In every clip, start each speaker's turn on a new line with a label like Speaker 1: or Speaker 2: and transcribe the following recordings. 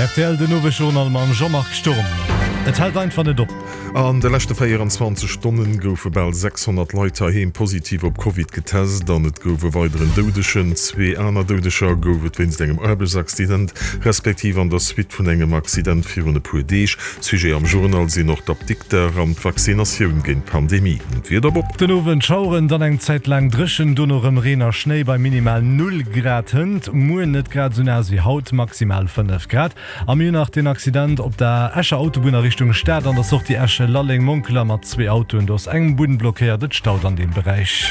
Speaker 1: Rtl Den Owesjournal mam Jean-Marc Sturm. Et hält einfach net op.
Speaker 2: An de leschte 24 Stonne goufe bal 600 Leit heiheem positiv op Covid getest an et gouf e weideren Doudegen. Zwee aner Doudeger gouf et wéinst engem Aarbechtsaccident, respektiv an der Suite vun engem Accident virun e puer Deeg. Sujet am Journal sinn och d'Apdikter an d'Vaccinatioun géint d'Pandemie. D'Wieder, Bob.
Speaker 1: Den Owend Schaueren, dann eng Zäit laang dréchen, dono rëm Reen a Schnéi bei minimal 0 Grad. Hënt muer net grad esou naass wéi haut, maximal 5 Grad. A mir hunn nach den Accident op der Escher Autobunn a Richtung Stad an der Sortie Esch-Lalleng-Monkeler mat zwee Autoen. Do ass eng Bunn blockéiert, et staut an deem Beräich.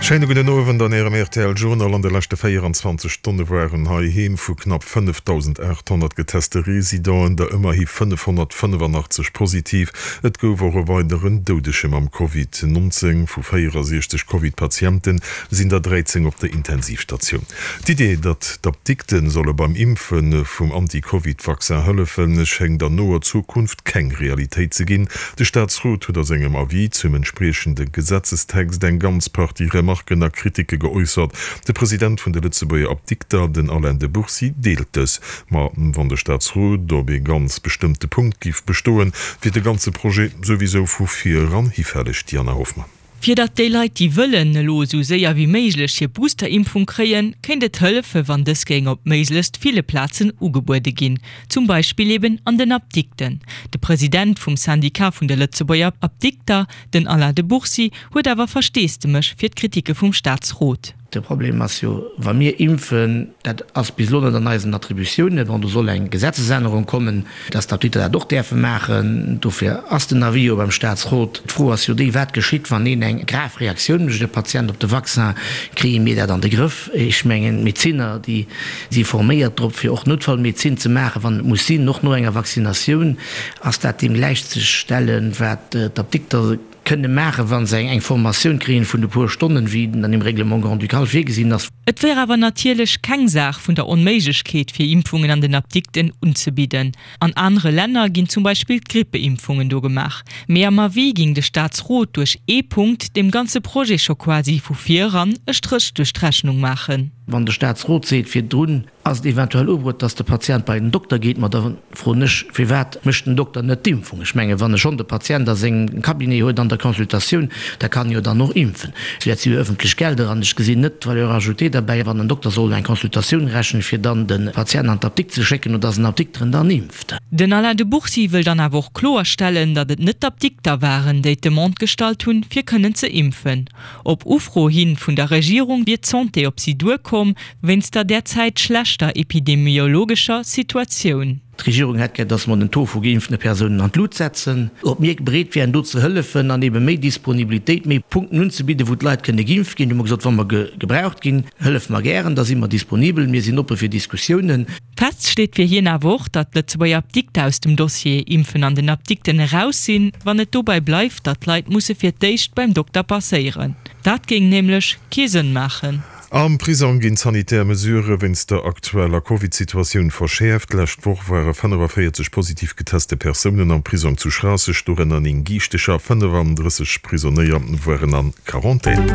Speaker 2: Schéine gudden Owend an Ärem rtl Journal. An de leschte 24 Stonne waren heiheem vu knapp 5.800 geteste Residenten der ëmmerhi 585 positiv. Et gouf och e weideren Doudege mam Covid 19. Vu 64 Covid-Patiente sinn der 13 op der Intensivstatioun. D'Idee, datt d'Apdikte solle beim Impfe vum Anti-Covid-Vaccin hëllefen, schéngt an noer Zukunft keng Realitéit ze ginn. De Staatsrot huet a sengem Avis zum entspriechende Gesetzestext eng ganz Partie Remarken a Kritike geäussert. De President vun de Lëtzebuerger Apdikter, den Alain de Bourcy, deelt dës. Ma wann de Staatsrot op ee ganz bestëmmte Punkt giff bestoen, wier de ganze Projet souwisou vu vir eran hifälleg. Diana Hoffmann.
Speaker 3: Fir datt déi Leit, déi wëllen, elo esou séier wéi méiglech hir Booster-Impfung kréien, kéint et hëllefen, wann dës géing op méiglechst ville Plazen ugebuede ginn, zum Beispill eben an den Apdikten. De President vum Syndicat vun de Lëtzebuerger Apdikter, den Alain de Bourcy, huet awer Versteesdemech fir d'Kritike vum Staatsrot.
Speaker 4: De Problem ass jo, wa mir impfen, dat ass bis elo net an eisen Attributiounen, bon, do soll eng Gesetzesännerung kommen, dass d'Apdikter dat och däerfe maachen. Dofir ass den Avis jo beim Statsrot. D'Fro ass jo déi, Wat geschitt, wann een eng grav Reaktioun mécht, e Patient op de Vaccin? Kréie mir dat an de Grëff? Ech mengen, d'Medezinner, déi si forméiert drop, fir och Noutfallmedezin ze maachen, wann et muss sinn, och no enger Vaccinatioun. Ass dat deem gläichzestellen, wat d'Apdikter Kënne maachen, wa se eng Formatioun kréien vun e puer Stonnen, wéi an dem Règlement grand-ducal virgesinn ass.
Speaker 3: Et wär awer natierlech keng Saach vun der Onméiglechkeet, fir Impfungen an den Apdikten unzebidden. An anere Länner ginn zum Beispill d'Grippeimpfungen do gemaach. Mee am Avis géing de Staatsrot duerch ee Punkt deem ganze Projet scho quasi vu vir eran e Stréch duerch d'Rechnung maachen.
Speaker 4: Wann de Staatsrot seet virdrun, Ass et eventuell ubruet, dass de Patient bei den Dokter geet? Ma da froen ech, Firwat mécht den Dokter net d'Impfung? Ech mengen, wann e schonn de Patient a sengem Cabinet huet an der Consultatioun, da kann e jo dann och impfen. Dat si jo ëffentlech Gelder an ech gesinn net d'Valeur ajoutée derbäi, wann en Dokter soll eng Consultatioun rechnen, fir dann de Patient an d'Apdikt ze schécken oder dass en Apdikter en dann impft.
Speaker 3: Den Alain de Bourcy wëll dann awer och kloerstellen, datt et net d'Apdikter waren, déi d'Demande gestallt hunn, fir kënnen ze impfen. Op Ufro hi vun der Regierung wier d'Santé op si duerkomm, wéinst der derzäit schlechter epidemiologescher Situatioun.
Speaker 4: D'Regierung hätt gär, datt mer den Taux vu geimpfte Persounen an d'Lut setzen. Ob mir bereet wären, do ze hëllefen an ebe méi Disponibilitéit, méi Punkten unzebidden, wou d'Leit kënne geimpft ginn. Du hu mer gesot, wa mer gebraucht ginn, hëllefe mer gären, da si mer disponibel, mir sinn oppe fir Diskussiounen.
Speaker 3: Fest steet fir hien awer och, datt d'Lëtzebuerger Apdikter aus dem Dossier Impfen an den Apdikten eraus sinn, wann et dobäi bleift, datt d'Leit musse fir d'éischt beim Dokter passéieren. Dat géing nämlech kee Sënn maachen.
Speaker 2: Am Prisong ginn d'sanitär Mesurë wéinst der aktueller Covid-Situatioun verschäerft. D'lescht Woch ware 45 positiv geteste Persounen am Prisong zu Schraasseg, dorënner 9 Giichtecher. 35 Prisonéier waren a Quarantän.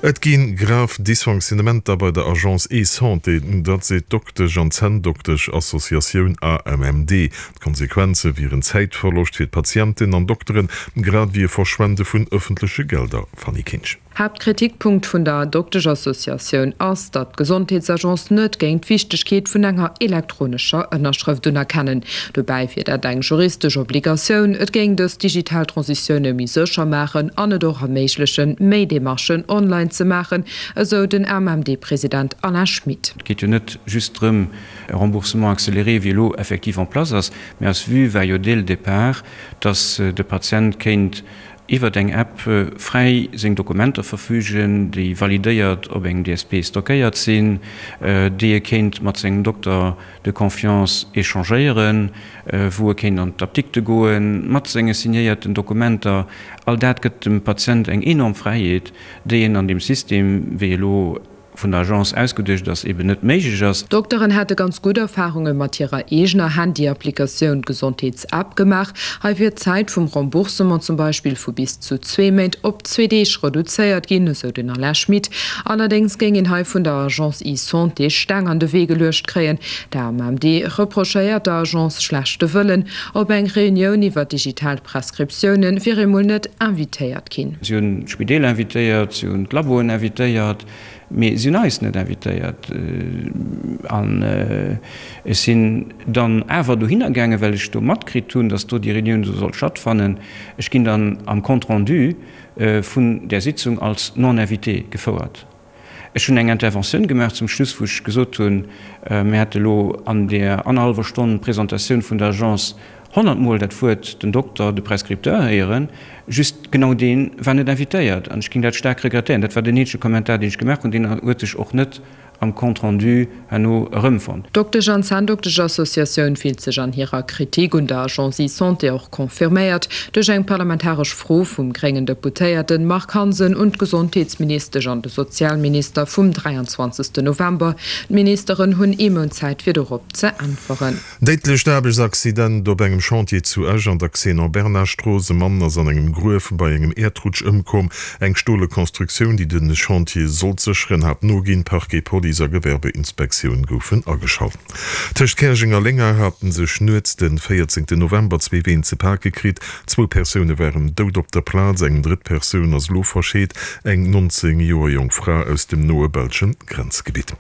Speaker 2: Et gi grav Dysfonctionnementer bei der Agence eSanté, dat seet d'Doktesch an Zänndoktesch-Associatioun AMMD. D'Konsequenze wieren Zäitverloscht fir d'Patienten an Dokteren, grad ewéi e Verschwende vun ëffentleche Gelder. Fanny Kinsch.
Speaker 5: Haaptkritikpunkt vun der Dokteschassociatioun ass, datt d'Gesondheetsagence net géing d'Wichtegkeet vun enger elektronescher Ënnerschrëft unerkennen. Dobäi wier dat eng juristesch Obligatioun. Et géing dës digital Transitioune méi sécher maachen an et och erméiglechen, méi Demarchen online ze maachen, esou den AMMD-President Alain Schmit.
Speaker 6: Et geet jo net just drëm, e Remboursement accéléré, wéi elo effektiv en place ass, mä eis Vue war jo dès le départ, dass de Patient kéint iwwert eng App fräi seng Dokumenter verfügen, déi validéiert op engem DSP stockéiert sinn, déi e kéint mat sengem Dokter de confiance échangéieren, wou e kéint an d'Apdikte goe mat senge signéierten Dokumenter. All dat gëtt dem Patient eng enorm Fräiheet, déi en an deem System, wéi elo. vun der Agence ausgeduecht ass, eben net méiglech ass.
Speaker 5: D'Dokteren hätte ganz gutt Erfarunge mat hirer eegener Handy-Applikatioun Gesondheets-App gemaach. Hei wier d'Zäit vum Remboursement zum Beispill vu bis zu zwee Méint op zwee Deeg reduzéiert ginn, esou den Alain Schmit. Allerdéngs géing een hei vun der Agence eSanté Steng an de Wee geluecht kréien. D'AMMD reprochéiert der Agence schlechte Wëllen. Op eng Reunioun iwwer digital Prescriptioune wier ee mol net invitéiert ginn.
Speaker 6: Si hunn d'Spideeler invitéiert, si hunn d'Laboen invitéiert, mee si hunn eis net invitéiert. An ech sinn dann awer dohinner gaangen, well ech do matkritt hunn, datt do déi Reunioun do sollt stattfannen. Ech ginn dann am Compte rendu vun där Sitzung als non-invité gefouert. Ech hunn eng Interventioun gemaach zum Schluss, wou ech gesot hunn, mir hätte elo an där annerhallwer Stonn Presentatioun vun der Agence honnertmol dat Wuert den Dokter, de Prescripteur héieren, just genau dee war net invitéiert an ech géing dat staark regrettéieren. Dat war den eenzege Kommentar, deen ech gemaach hunn. Deen huet sech och net am Compte rendu herno erëmfonnt.
Speaker 5: D'Doktesch an Zänndokteschassociatioun fillt sech an hirer Kritik un der Agence eSanté och confirméiert duerch eng parlamentaresch Fro vum gréngen Deputéierten Marc Hansen un d'Gesondheetsministesch an de Sozialminister vum 23. November. D'Ministeren hunn ee Mount Zäit fir dorop ze äntweren.
Speaker 2: Déidlecht Aarbechtsaccident op engem Chantier zu Esch an der Xenon Bernard Strooss. E Mann ass an engem Gruef bei engem Äerdrutsch ëmkomm. Eng stole Konstruktioun, déi de Chantier sollt sécheren, hat noginn. Parquet, Police a Gewerbeinspektioun goufen ageschalt. Tëscht Käerjeng a Lénger hate sech nuets de 14 November zwee Ween ze pake kritt. Zwou Persoune waren dout op der Plaz, eng drëtt Persoun ass elo verscheet, eng 19 Joer jonk Fra aus dem noe belsche Grenzgebitt.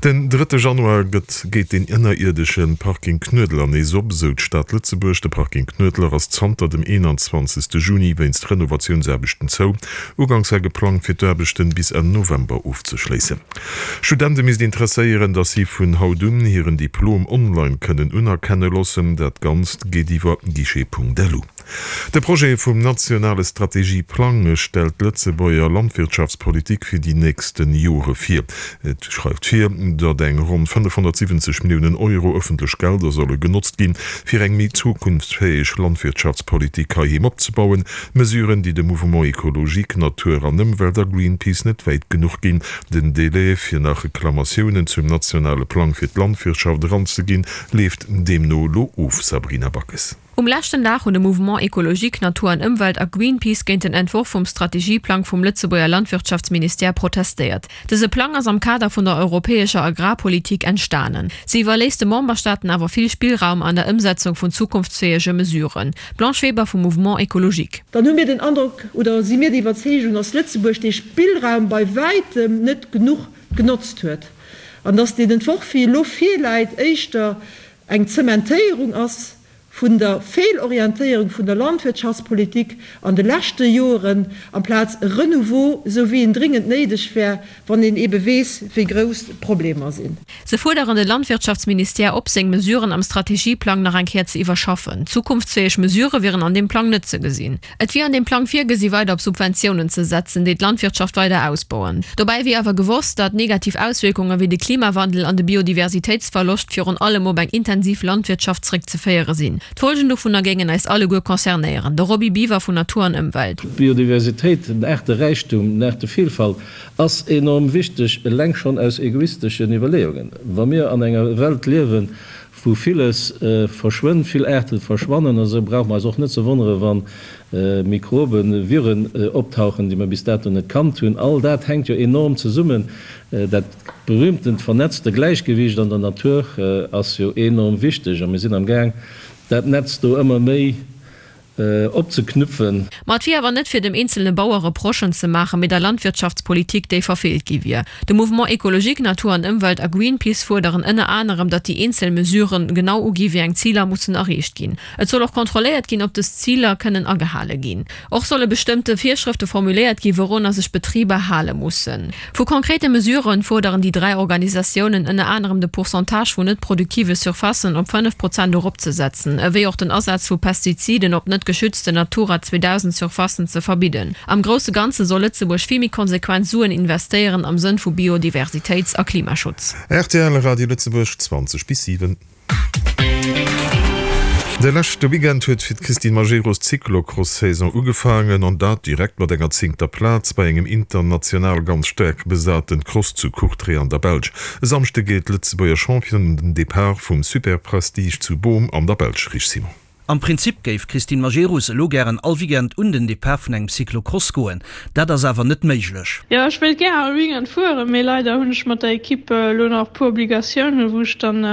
Speaker 2: Den drëtte Januar gëtt geet den ënnerierdesche Parking Knuedler nees op, esou d'Stad Lëtzebuerg. De Parking Knuedler ass zanter dem 21. Juni wéinst Renovatiounsaarbechten zou. Uganks war geplangt, fir d'Aarbechten bis Enn November ofzeschléissen. Studente misst interesséieren, datt si vun haut un hiren Diplom online kënnen unerkenne loossen. Dat Ganzt geet iwwer guichet.lu. De Projet vum nationale Strategieplang stellt d'Lëtzebuerger Landwirtschaftspolitik fir déi nächste Jore vir. Et schreift vir, datt eng ronn 570 Milliounen Euro ëffentlech Gelder solle genotzt ginn, fir eng méi zukunftsfäeg Landwirtschaftspolitik heiheem opzebauen. Mesuren, déi de Mouvement Ecologique, Natur an Ëmwelt a Greenpeace net wäit genuch ginn. Den Delai, fir nach Reklamatiounen zum nationale Plang fir d'Landwirtschaft eranzeginn, leeft deemno elo of. Sabrina Backes.
Speaker 7: Um leschten Dag hunn de Mouvement Ecologique, Natur an Ëmwelt a Greenpeace géint den Entworf vum Strategieplang vum Lëtzebuerger Landwirtschaftsministère protestéiert. Dëse Plang ass am Kader vun der europäescher Agrarpolitik entstanen. Se iwwerléisst de Memberstaaten awer vill Spillraum an der Ëmsetzung vun zukunftsfäege Mesuren. D'Blanche Weber vum Mouvement Ecologique.
Speaker 8: Dann hu mir den Androck oder si mir der Iwwerzeegung, dass Lëtzebuerg dee Spillraum bei wäitem net genuch genotzt huet an dass deen Entworf, wéi e lo virläit, éischter eng Zementéierung ass vun der Feelorientéierung vun der Landwirtschaftspolitik an de leschte Joeren, amplaz e Renouveau, esou wéi en dringend néideg wär, wann een ebe weess, wéi grouss d'Problemer sinn.
Speaker 7: Se fuerderen de Landwirtschaftsministère op, seng Mesuren am Strategieplang nach eng Kéier ze iwwerschaffen. Zukunftsfäeg Mesurë wieren an deem Plang net ze gesinn. Et wier an deem Plang virgesi weider op Subventiounen ze setzen, déi d'Landwirtschaft weider ausbauen. Dobäi wier awer gewosst, datt negativ Auswierkunge wéi de Klimawandel an de Biodiversitéitsverloscht virun allem op eng intensiv Landwirtschaft zréckzeféiere sinn. D'Folgen dovunner géingen eis alleguer concernéieren. De Roby Biwer vun Natur an Ëmwelt.
Speaker 9: D'Biodiversitéit, den Aarteräichtum, den Aartevielfalt ass enorm wichteg, eleng schonn aus egoisteschen Iwwerleeungen. Wa mir an enger Welt liewen, wou villes verschwënnt, vill Aarte verschwannen, esou brauche mer eis och net ze wonnere wa Mikroben, Viren optauchen, déi mer bis dato net kannt hunn. All dat hänkt jo enorm zesummen. Dat berühmtent vernetzte Gläichgewiicht an der Natur ass jo enorm wichteg a mir sinn am Gaang, dat Netz do ëmmer méi opzeknüpfen.
Speaker 7: Ma et wier awer net fir dem eenzelne Bauer Reprochen ze maachen, mee der Landwirtschaftspolitik, déi verfeelt gi wier. De Mouvement Ecologique, Natur an Ëmwelt a Greenpeace fuerderen ënner anerem, datt déi eenzel Mesuren genau ugi wéi eng Ziler mussen erreecht ginn. Et soll och kontrolléiert ginn, ob dës Ziler kënnen agehale ginn. Och solle bestëmmte Virschrëfte formuléiert ginn, wourunner sech Betriber hale mussen. Vu konkrete Mesuren fuerderen déi 3 Organisatiounen ënner anerem de Pourcentage vun net produktive Surfacen op 5 Prozent eropzesetzen, ewéi och den Asaz vu Pestiziden op net geschützten Natura 2000 Surfacen ze verbidden. Am grousse Ganze soll Lëtzebuerg vill méi konsequent Suen investéieren am Sënn vu Biodiversitéits a Klimaschutz.
Speaker 2: Rtl Radio Lëtzebuerg, 20 bis 7. De leschte Weekend huet fir d'Christine Majerus d'Cyclocross-Saison ugefaangen an dat direkt mat enger zéngter Plaz bei engem international ganz staark besaten Cross zu Courtrai an der Belsch. E Samschde geet d'Lëtzebuerger Championne un den Depart vum Superprestige zu Boom an der Belsch. Rich Simon.
Speaker 10: Am Prinzip géif d'Christine Majerus elo gären all Weekend un den Depart vun engem Cyclocross goen. Dat ass awer net méiglech.
Speaker 11: Jo, ech wéilt gär all Weekend fueren, mee leider hunn ech mat der Equipe elo nach e puer Obligatiounen, wou ech dann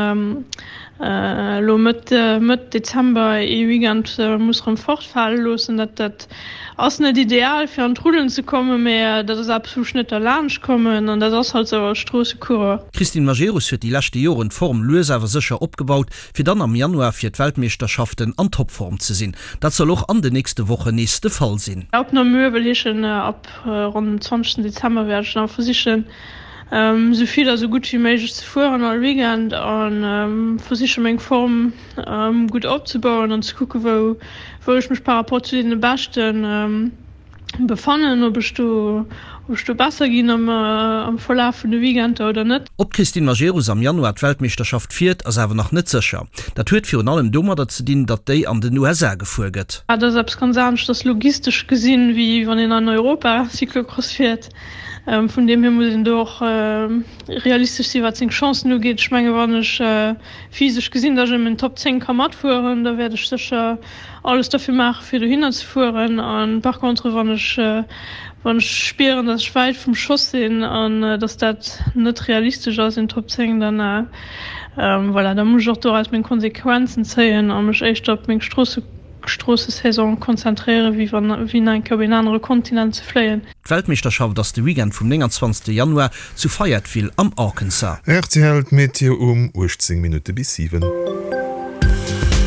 Speaker 11: elo Mëtt Mëtt Dezember ee Weekend muss rëm fortfale loossen. Dat dat ass net ideal fir an d'Rullen ze kommen, mee dat ass eppes wou ech net derlaanscht kommen an dat ass halt sou als Stroossecoureur.
Speaker 10: D'Christine Majerus huet déi leschte Joren d'Form lues awer sécher opgebaut, fir dann am Januar fir d'Weltmeeschterschaften an Topform ze sinn. Dat soll och an den nächste Wochen nees de Fall sinn.
Speaker 11: Ab Namur wëll heeschen, ab ronn dem 20 Dezember wäert ech dann versichen esou vill a sou gutt wéi méiglech ze fueren all Weekend a versiche meng Form gutt opzebauen an ze kucke wou wou ech mech par rapport zu deene Beschten befannen, ob ech do, ob ech do besser ginn am am Verlaf vun de Weekender oder net.
Speaker 10: Ob d'Christine Majerus am Januar d'Weltmeeschterschaft fiert, ass awer nach net sécher. Dat huet virun allem domadder ze dinn, datt déi an den USA gefuer gëtt.
Speaker 11: Dat ass eppes ganz aneschters logistesch gesinn, wéi wann een an Europa Cyclocross fiert. Vun deem hier muss een do och realistesch sinn, wat seng Chancen ugeet. Ech menge wann ech physesch gesinn, datt ech ëm den Top 10 ka matfueren, da wäert ech sécher alles derfir maachen, fir dohinner ze fueren. An par contre, wann ech, wann ech spieren, datt ech wäit vum Schoss sinn an datt dat net realistesch ass, een Top 10, dann, voilà, da muss ech och doraus meng Konsequenzen zéien a mech éischter op meng Stroosse, Stroossesaison konzentréieren, wéi wann, wéi nach eng Kéier op een anere Kontinent ze fléien.
Speaker 10: D'Weltmeeschterschaft ass de Weekend vum 29 Januar zu Fayetteville am Arkansas.
Speaker 2: Rtl, D'Meteo um 18 Minutte bis 7.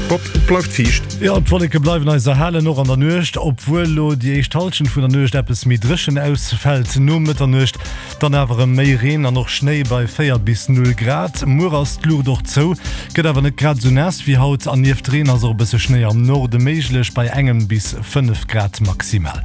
Speaker 2: Bob, et bleift fiicht.
Speaker 1: Jo, d'Wolleke bleiwen eis erhalen, och an der Nuecht, obwuel lo déi éischt Hallschent vun der Nuecht eppes méi dréchen ausfält. No Mëtternuecht dann awer erëm méi Reen an och Schnéi bei 4 bis 0 Grad. Muer ass d'Luucht och zou, gëtt awer net grad esou naass wéi haut an nieft Reen ass och e bësse Schnéi am Norde méiglech bei engem bis 5 Grad maximal.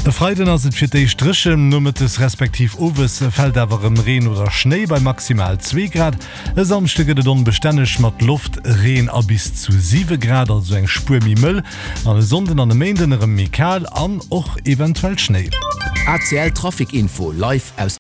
Speaker 1: E Freiden ass et fir d'éischt dréchen, nomëttes respektiv owes fält awer erëm Reen oder Schnéi bei maximal 2 Grad. E Samschde gëtt et onbestänneg mat Loft, Reen a bis zu 7 Grad, also eng Spuer méi mëll. An e Sonnden an e Méinden erëm méi kal an och eventuell Schnéi.
Speaker 10: ACL Trafic Info live aus.